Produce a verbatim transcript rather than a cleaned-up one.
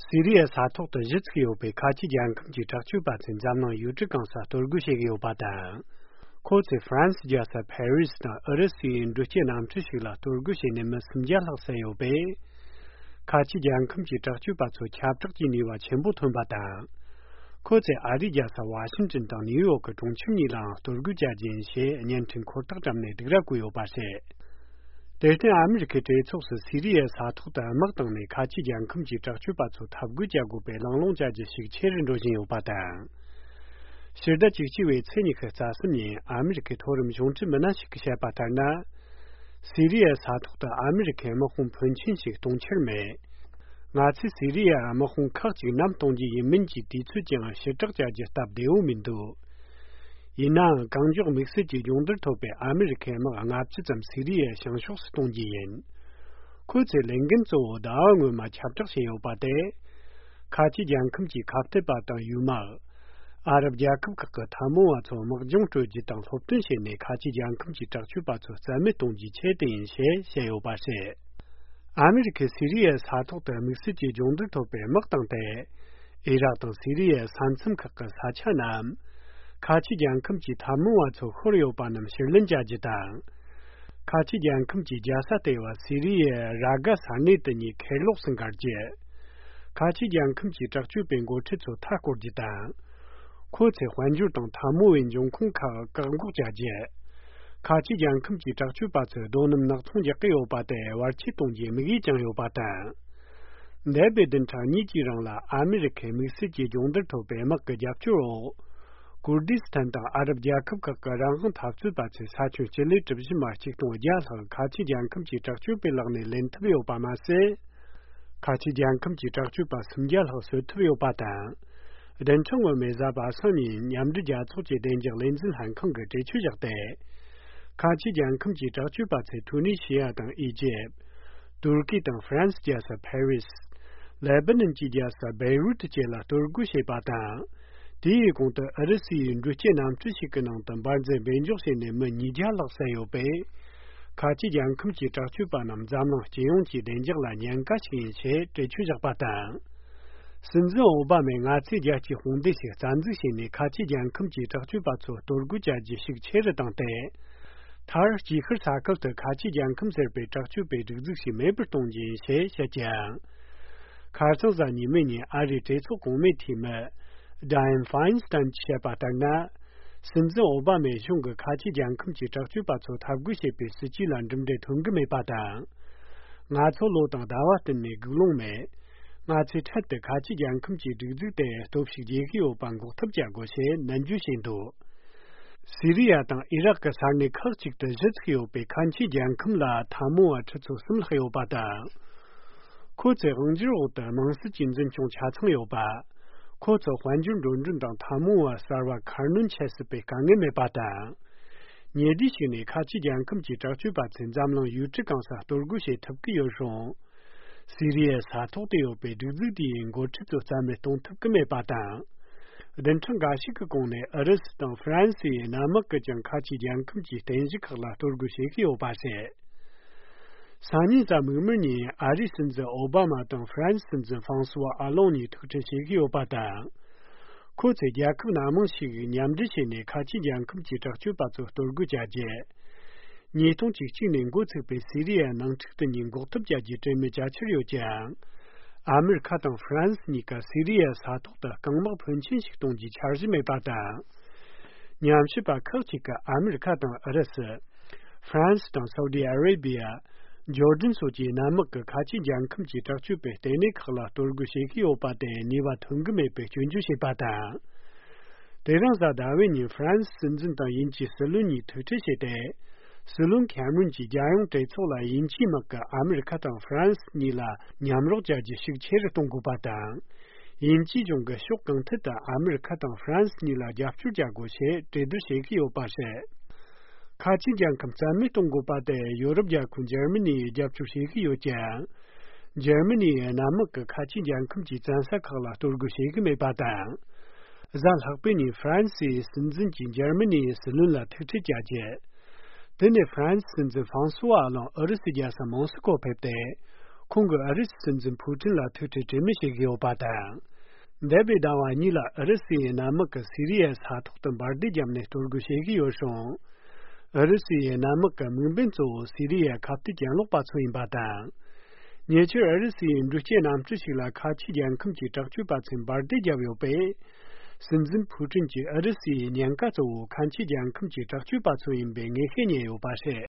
སི་རི་ཡའི་ས་ཐོག་ཏུ་གཞི་ཚུགས་ཡོད་པའི་ཁ་ཆེ་རྒྱལ་ཁམས་ཀྱི་དྲག་སྤྱོད་པ་ཚོས་འཛམ་གླིང་ཡུལ་གྲུ་གང་སར་གཏོར་རྒོལ་བྱེད་ཀྱི་ཡོད་པ་དང་། ཁོ་ཚོས་ཧྥ་རན་སི་རྒྱལ་ས་ཕ་རི་སི་དང་ཨུ་རུ་སུའི་འགྲུལ་སྐྱེལ་གནམ་གྲུ་ཞིག་ལ་གཏོར་རྒོལ་བྱས་ནས་མི་སུམ་བརྒྱ་ལྷག་བསད་ཡོད་པས། ཁ་ཆེ་རྒྱལ་ཁམས་ཀྱི་དྲག་སྤྱོད་པ་ཚོ་ཁྱབ་བསྒྲགས་ཀྱི་ནུས་པ་ཆེན་པོ་ཐོན་པ་དང་། ཁོ་ཚོས་ཨ་རིའི་རྒྱལ་ས་ཝ་ཤིང་ཏོན་དང་ནིའུ་ཡོག་གི་གྲོང་ཁྱེར་གཉིས་ལའང་གཏོར་རྒོལ་བྱ་རྒྱུ་ཡིན་ཞེས་བརྙན་འཕྲིན་འཁོར་ཐག་བཀྲམ་ནས་སྡིགས་ར་བསྐུལ་ཡོད་པ་རེད། དེར་བརྟེན་ཨ་མི་རི་ཁའི་གྲོས་ཚོགས་སུ་སི་རི་ཡའི་ས་ཐོག་ཏུ་དམག་བཏང་ནས་ཁ་ཆེ་རྒྱལ་ཁམས་ཀྱི་དྲག་སྤྱོད་པ་ཚོ་འཐབ་རྒོལ་བྱ་དགོས་པའི་གླེང་སློང་བྱ་རྒྱུ་ཤུགས་ཆེ་རུ་འགྲོ་བཞིན་ཡོད་པ་དང་། ཕྱི་ཟླ་བཅུ་གཅིག་པའི་ཚེས་ཉི་ཤུ་རྩ་གསུམ་ཉིན་ཨ་མི་རི་ཁའི་མཐོ་རིམ་གཞུང་འབྲེལ་མི་སྣ་ཞིག་གིས་བཤད་པ་ལྟར་ན། སི་རི་ཡའི་ས་ཐོག་ཏུ་ཨ་མི་རི་ཁའི་དམག་དཔུང་ཕོན་ཆེན་ཞིག་གཏོང་འཆར་མེད། ང་ཚོས་སི་རི་ཡའི་དམག་དཔུང་ཁག་ཅིག་ནམ་གཏོང་རྒྱུ་ཡིན་མིན་གྱི་དུས་ཚོད་ཀྱང་ཕྱིར་བསྒྲགས་བྱ་རྒྱུ་སྟབས་བདེ་བོ་མི་འདུག་ཡིན་ནའང་གང་མགྱོགས་དམིགས་བསལ་གྱི་སྦྱོང་བརྡར་ཐོབ་པའི་ཨ་མི་རི་ཁའི་དམག་ལྔ་བཅུ་ཙམ་སི་རི་ཡའི་བྱང་ཕྱོགས་སུ་གཏོང་རྒྱུ་ཡིན། ཁོ་ཚོའི་ལས་འགན་གཙོ་བོ་ཟླ་བ་སྔོན་མ་ཁྱབ་བསྒྲགས་བྱས་ཡོད་པ་དེ། ཁ་ཆེ་རྒྱལ་ཁམས་ཀྱི་ཁ་གཏད་པ་དང་ཡུལ་དམག་ཨ་རབ་རྒྱལ་ཁབ་ཁག་གི་འཐབ་མོ་བ་ཚོར་དམག་སྦྱོང་སྤྲོད་རྒྱུ་དང་སློབ་སྟོན་བྱས་ནས་ཁ་ཆེ་རྒྱལ་ཁམས་ཀྱི་དྲག་སྤྱོད་པ་ཚོ་རྩ་མེད་གཏོང་རྒྱུའི་ཆེད་དུ་ཡིན་ཞེས་བཤད་ཡོད་པ་རེད། ཨ་མི་རི་ཁས་སི་རི་ཡའི་ས་ཐོག་ཏུ་དམིགས་བསལ་གྱི་སྦྱོང་བརྡར་ཐོབ་པའི་དམག་བཏང་སྟེ། ཨི་རག་དང་སི་རི་ཡའི་ས་མཚམས་ཁག་གི་ས་ཆ་རྣམས། ཁ་ཆེ་རྒྱལ་ཁམས་ཀྱི་འཐབ་མོ་བ་ཚོ་ཤོར་ཡོད་པ་རྣམས་ཕྱིར་ལེན་བྱ་རྒྱུ་དང་། ཁ་ཆེ་རྒྱལ་ཁམས་ཀྱི་རྒྱལ་ས་ལྟེ་བ་སི་རི་ཡའི་ར་གྷ་ས་གནས་དེ་ཉིད་ཁེར་ལོགས་སུ་འགལ་རྒྱུ། ཁ་ཆེ་རྒྱལ་ཁམས་ཀྱི་དྲག་སྤྱོད་པའི་འགོ་ཁྲིད་ཚོ་མཐའ་སྐོར་རྒྱུ་དང་། ཁོ་ཚོས་དཔལ་འབྱོར་དང་འཐབ་མོ་བའི་འབྱུང་ཁུངས་ཁག་བཀག་འགོག་བྱ་རྒྱུ། ཁ་ཆེ་རྒྱལ་ཁམས་ཀྱི་དྲག་སྤྱོད་པ་ཚོས་རྡོ་སྣུམ་ནག་ཚོང་རྒྱག་གི་ཡོད་པ་དེ་བར་ཆད་གཏོང་རྒྱུའི་དམིགས་ཡུལ་ཀྱང་ཡོད་པ་དང་། འདས་པའི་བདུན་ཕྲག་གཉིས་ཀྱི་རིང་ལ་ཨ་མི་རི་ཁའི་དམིགས་བསལ་གྱི་སྦྱོང་བརྡར་ཐོབ་པའི་དམག་གི་རྒྱབ་སྐྱོར་འོག་ཀུར་དིས་ཐན་དང་ཨ་རབ་རྒྱལ་ཁབ་ཁག་གི་རང་དབང་འཐབ་རྩོད་པ་ཚོས་ས་ཁྱོན་སྤྱི་ལེ་གྲུ་བཞི་མ་གཅིག་སྟོང་བརྒྱ་ལྷག་ཁ་ཆེ་རྒྱལ་ཁམས་ཀྱི་དྲག་སྤྱོད་པའི་ལག་ནས་ལེན་ཐུབ་ཡོད་པ་མ་ཟད། ཁ་ཆེ་རྒྱལ་ཁམས་ཀྱི་དྲག་སྤྱོད་པ་སུམ་བརྒྱ་ལྷག་གསོད་ཐུབ་ཡོད་པ་དང་། བདུན་ཕྲག་སྔོན་མའི་གཟའ་པ་སངས་ཉིན་མཉམ་འབྲེལ་རྒྱལ་ཚོགས་ཀྱི་བདེ་འཇགས་ལས་འཛིན་ལྷན་ཁང་གིས་གྲོས་ཆོད་བཞག་སྟེ། ཁ་ཆེ་རྒྱལ་ཁམས་ཀྱི་དྲག་སྤྱོད་པ་ཚོས་ཐུ་ནི་ཤི་ཡ་དང་ཨི་ཇེབ། ཏུར་ཀི་དང་ཧྥ་རན་སི་རྒྱལ་ས་ཕ་རི་སི། ལེ་བྷ་ནན་གྱི་རྒྱལ་ས་བེ་རུ་ཏི་བཅས་ལ་གཏོར་རྒོལ་བྱས་པ་དང་། དེའི་གོང་དུ་ཨུ་རུ་སུའི་འགྲུལ་སྐྱེལ་གནམ་གྲུ་ཞིག་གི་ནང་དུ་འབར་རྫས་སྦས་འཇོག་བྱས་ནས་མི་ཉིས་བརྒྱ་ལྷག་བསད་ཡོད་པས། ཁ་ཆེ་རྒྱལ་ཁམས་ཀྱི་དྲག་སྤྱོད་པ་རྣམས་འཛམ་གླིང་སྤྱི་ཡོངས་ཀྱི་བདེ་འཇགས་ལ་ཉེན་ཁ་ཞིག་ཡིན་ཞེས་གྲོས་ཆོད་བཞག་པ་དང་། སྲིད་འཛིན་ཨོ་བྷ་མས་ང་ཚོས་རྒྱལ་སྤྱིའི་དཔུང་སྡེ་ཞིག་རྩ་འཛུགས་བྱས་ནས་ཁ་ཆེ་རྒྱལ་ཁམས་ཀྱི་དྲག་སྤྱོད་པ་ཚོ་གཏོར་རྒོལ་བྱ་རྒྱུ་ཤུགས་ཆེ་རུ་བཏང་སྟེ། མཐར་དཀྱིལ་ཤར་ས་ཁུལ་དུ་ཁ་ཆེ་རྒྱལ་ཁམས་ཟེར་བའི་དྲག་སྤྱོད་པའི་སྒྲིག་འཛུགས་ཤིག་མེད་པར་གཏོང་རྒྱུ་ཡིན་ཞེས་བཤད་ཀྱང་། ཁ་སང་གཟའ་ཉི་མའི་ཉིན་ཨ་རིའི་གྲོས་ཚོགས་གོང་མའི་འཐུས་མི་Dianne Feinstein གྱིས་བཤད་པ་ལྟར་ན། སྲིད་འཛིན་ཨོ་བྷ་མའི་གཞུང་གིས་ཁ་ཆེ་རྒྱལ་ཁམས་ཀྱི་དྲག་སྤྱོད་པ་ཚོ་འཐབ་རྒོལ་བྱེད་པའི་སྲིད་ཇུས་ལ་གྲུབ་འབྲས་ཐོན་གྱི་མེད་པ་དང་། ང་ཚོ་ལོ་དང་ཟླ་བ་བསྟུན་ནས་སྒུག་ལོང་མེད། ང་ཚོས་འཕྲལ་དུ་ཁ་ཆེ་རྒྱལ་ཁམས་ཀྱི་སྒྲིག་འཛུགས་དེ་སྟོབས་ཤུགས་རྒྱས་ཀྱི་ཡོད་པ་འགོག་ཐབས་བྱ་དགོས་ཞེས་ནན་བརྗོད་བྱས་འདུག་སི་རི་ཡ་དང་ཨི་རག་གི་ས་གནས་ཁག་ཅིག་ཏུ་གཞི་ཚུགས་ཡོད་པའི་ཁ་ཆེ་རྒྱལ་ཁམས་ལ་འཐབ་མོ་བ་ཁྲི་ཚོ་གསུམ་ལྷག་ཡོད་པ་དང་། ཁོ་ཚོའི་དབང་སྒྱུར་འོག་ཏུ་དམངས་སྲིད་ཀྱི་འཛིན་སྐྱོང་ཆ་ཚང་ཡོད་པ། ཁོ་ཚོ་དཔལ་འབྱོར་འགྲོ་གྲོན་དང་འཐབ་མོ་བ་གསར་བ་ཁ་སྣོན་བྱེད་སྲིད་པའི་དཀའ་ངལ་མེད་པ་དང་། ཉེ་དུས་ཤིག་ནས་ཁ་ཆེ་རྒྱལ་ཁམས་ཀྱི་དྲག་སྤྱོད་པ་ཚོས་འཛམ་གླིང་ཡུལ་གྲུ་གང་སར་གཏོར་རྒོལ་བྱེད་ཐུབ་ཀྱི་ཡོད་རུང་། སི་རི་ཡའི་ས་ཐོག་ཏུ་ཡོད་པའི་སྒྲིག་འཛུགས་དེའི་འགོ་ཁྲིད་ཚོ་རྩ་མེད་གཏོང་ཐུབ་ཀྱི་མེད་པ་དང་། བདུན་ཕྲག་འགའ་ཞིག་གི་གོང་ནས་ཨུ་རུ་སུ་དང་ཧྥ་རན་སིའི་གནམ་དམག་གིས་ཀྱང་ཁ་ཆེ་རྒྱལ་ཁམས་ཀྱི་རྟེན་གཞི་ཁག་ལ་གཏོར་རྒོལ་བྱེད་ཀྱི་ཡོད་པ་རེད། སང་ཉིན་གཟའ་མིག་དམར་ཉིན་ཨ་རིའི་སྲིད་འཛིན་ཨོ་བྷ་མ་དང་ཧྥ་རན་སི་སྲིད་འཛིན་ཧྥང་སུ་ཝ་ཨ་ལོང་གཉིས་ཐུག་འཕྲད་བྱེད་ཀྱི་ཡོད་པ་དང་། ཁོ་ཚོས་རྒྱལ་ཁབ་སྣ་མང་ཞིག་མཉམ་འབྲེལ་བྱས་ནས་ཁ་ཆེ་རྒྱལ་ཁམས་ཀྱི་དྲག་སྤྱོད་པ་ཚོ་གཏོར་རྒོལ་བྱ་རྒྱུ། ཉིས་སྟོང་བཅུ་གཅིག་ནས་འགོ་ཚུགས་པའི་སི་རི་ཡའི་ནང་འཁྲུག་དེ་གཉིས་འགོག་ཐབས་བྱ་རྒྱུའི་གྲོས་མོལ་བྱ་འཆར་ཡོད་ཀྱང་། ཨ་མི་རི་ཁ་དང་ཧྥ་རན་སི་གཉིས་ཀ་སི་རི་ཡའི་ས་ཐོག་ཏུ་རྐང་དམག་ཕོན་ཆེན་ཞིག་གཏོང་རྒྱུའི་འཆར་གཞི་མེད་པ་དང་། ཉམས་ཞིབ་པ་ཁག་ཅིག་གིས་ཨ་མི་རི་ཁ་དང་ཨུ་རུ་སུ། ཧྥ་རན་སི་དང་སའུ་ཏི་ཨ་རེ་བི་ཡ། ཇོར་ཌན་སོགས་ཀྱི་གནམ་དམག་གིས་ཁ་ཆེ་རྒྱལ་ཁམས་ཀྱི་དྲག་སྤྱོད་པའི་ལྟེ་གནས་ཁག་ལ་གཏོར་རྒོལ་བྱེད་ཀྱི་ཡོད་པ་དེ་ནུས་པ་ཐོན་གྱི་མེད་པའི་སྐྱོན་བརྗོད་བྱས་པ་དང་། དེ་རིང་གཟའ་ཟླ་བའི་ཉིན་ཧྥ་རན་སི་སྲིད་འཛིན་དང་དབྱིན་ཇིའི་སྲིད་བློན་གཉིས་ཐུག་འཕྲད་བྱས་ཏེ། སྲིད་བློན་ཁེ་མ་རོན་གྱིས་རྒྱལ་ཡོངས་གྲོས་ཚོགས་ལ་དབྱིན་ཇིའི་དམག་གིས་ཨ་མི་རི་ཁ་དང་ཧྥ་རན་སི་གཉིས་ལ་མཉམ་རོགས་བྱ་རྒྱུ་ཤུགས་ཆེ་རུ་གཏོང་དགོས་པ་དང་། དབྱིན་ཇིའི་གཞུང་གིས་ཕྱོགས་གང་ཐད་དུ་ཨ་མི་རི་ཁ་དང་ཧྥ་རན་སི་གཉིས་ལ་རྒྱབ་སྐྱོར་བྱ་དགོས་ཞེས་གྲོས་བསྡུར་བྱེད་ཀྱི་ཡོད་པ་རེད། ཁ་ཆེ་རྒྱལ་ཁམས་རྩ་མེད་གཏོང་དགོས་པ་དེ་ཡོ་རོབ་རྒྱལ་ཁབ་འཇར་མ་ནིས་རྒྱབ་སྐྱོར་བྱེད་ཀྱི་ཡོད་ཀྱང་། འཇར་མ་ནིའི་གནམ་དམག་གིས་ཁ་ཆེ་རྒྱལ་ཁམས་ཀྱི་བཙན་ས་ཁག་ལ་གཏོར་རྒོལ་བྱེད་ཀྱི་མེད་པ་དང་། གཟའ་ལྷག་པའི་ཉིན་ཧྥ་རན་སིའི་སྲིད་འཛིན་གྱིས་འཇར་མ་ནིའི་སྲིད་བློན་ལ་ཐུག་འཕྲད་བྱ་རྒྱུ། དེ་ནས་ཧྥ་རན་སི་སྲིད་འཛིན་ཧྥང་སུ་ཝ་ཨ་ལོང་ཨུ་རུ་སུའི་རྒྱལ་ས་མོ་སི་ཀོ་ཕེབས་ཏེ། ཁོང་གིས་ཨུ་རུ་སུའི་སྲིད་འཛིན་ཕུའུ་ཀྲིན་ལ་ཐུག་འཕྲད་གྲོས་མོལ་བྱེད་ཀྱི་ཡོད་པ་དང་། འདས་པའི་ཟླ་བ་གཉིས་ལ་ཨུ་རུ་སུའི་གནམ་དམག་གིས་སི་རི་ཡའི་ས་ཐོག་ཏུ་འབར་མདེལ་བརྒྱབ་ནས་གཏོར་རྒོལ་བྱེད་ཀྱི་ཡོད་ཞིང་། ཨུ་རུ་སུའི་གནམ་དམག་གི་དམིགས་འབེན་གཙོ་བོ་སི་རི་ཡའི་ཁ་གཏད་གྱེན་ལོག་པ་ཚོ་ཡིན་པ་དང་། ཉེ་ཆར་ཨུ་རུ་སུའི་འགྲུལ་སྐྱེལ་གནམ་གྲུ་ཞིག་ལ་ཁ་ཆེའི་རྒྱལ་ཁམས་ཀྱི་དྲག་སྤྱོད་པ་ཚོས་འབར་མདེལ་བརྒྱབ་ཡོད་པས། སྲིད་འཛིན་ཕུའུ་ཀྲིན་གྱིས་ཨུ་རུ་སུའི་ཉེན་ཁ་གཙོ་བོ་ཁ་ཆེའི་རྒྱལ་ཁམས་ཀྱི་དྲག་སྤྱོད་པ་ཚོ་ཡིན་པའི་ངེས་ཤེས་རྙེད་ཡོད་པ་རེད།